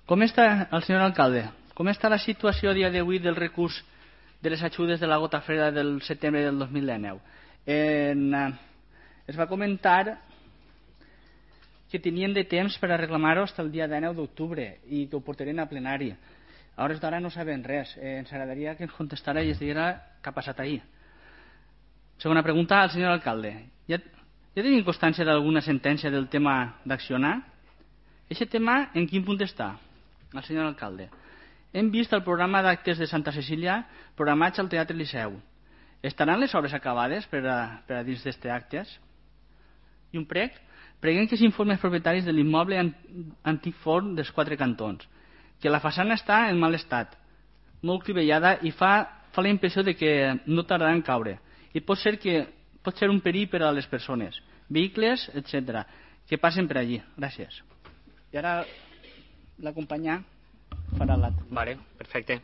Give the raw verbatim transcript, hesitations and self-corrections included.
Com està, el senyor alcalde, com està la situació a dia d'avui del recurs de les ajudes de la gota freda del setembre del dos mil dinou? En, eh, es va comentar que tenien de temps per a reclamar-ho fins el dia dinou d'octubre i que ho portarien a plenari. A hores d'ara no sabem res. Eh, ens agradaria que ens contestara i ens diguera què ha passat ahir. Segona pregunta al senyor alcalde. Ja, ja tenim constància d'alguna sentència del tema d'accionar? Aquest tema en quin punt està? El senyor alcalde. Hem vist el programa d'actes de Santa Cecília programats al Teatre Liceu. Estaran les obres acabades per a, per a dins d'aquests actes? I un prec? Preguem que s'informi als propietaris de l'immoble antic forn dels Quatre Cantons, que la façana està en mal estat, molt crivellada i fa, fa la impressió de que no tardarà en caure. I pot ser, que, pot ser un perill per a les persones, vehicles, etcètera, que passen per allí. Gràcies. I ara la companya farà l'altre. Vale, perfecte.